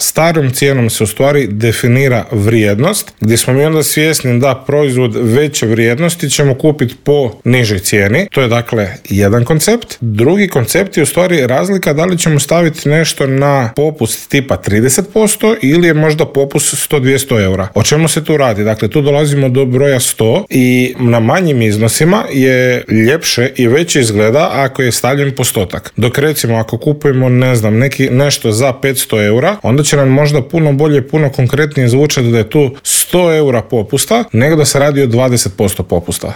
Starom cijenom se u stvari definira vrijednost, gdje smo mi onda svjesni da proizvod veće vrijednosti ćemo kupiti po nižoj cijeni. To je dakle jedan koncept. Drugi koncept je u stvari razlika da li ćemo staviti nešto na popust tipa 30% ili je možda popust 100-200 eura. O čemu se tu radi? Dakle, tu dolazimo do broja 100 i na manjim iznosima je ljepše i veće izgleda ako je stavljen postotak. Dok recimo ako kupujemo nešto za 500 eura, onda će nam možda puno bolje, puno konkretnije zvučati da je tu 100 eura popusta nego da se radi o 20% popusta.